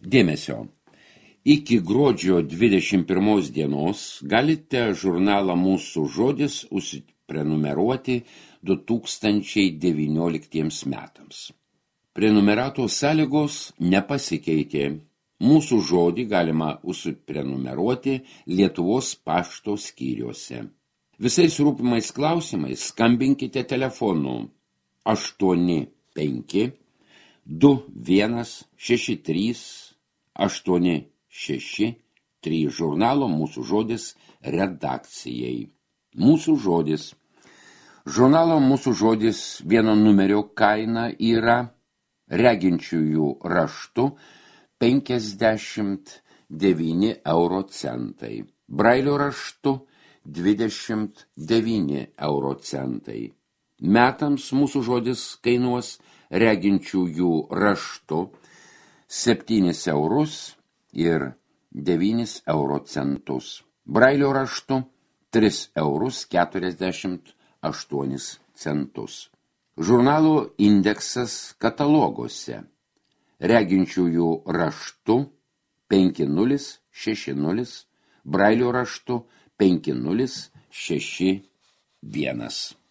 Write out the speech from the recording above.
Dėmesio. Iki gruodžio 21 dienos galite žurnalą Mūsų žodis užsiprenumeruoti 2019 metams. Prenumeratos sąlygos nepasikeitė. Mūsų žodį galima užsiprenumeruoti Lietuvos pašto skyriuose. Visais rūpimais klausimais skambinkite telefonu 85 2163 863 žurnalo Mūsų žodis redakcijai. Mūsų žodis. Žurnalo Mūsų žodis vieno numerio kaina yra reginčiųjų raštu 59 euro centai, brailio raštu 29 euro centai. Metams Mūsų žodis kainuos reginčiųjų raštu 7 eurus ir 9 euro centus. Brailio raštu 3 eurus 48 centus. Žurnalo indeksas kataloguose. Reginčiųjų raštu 5060, brailio raštu 5061.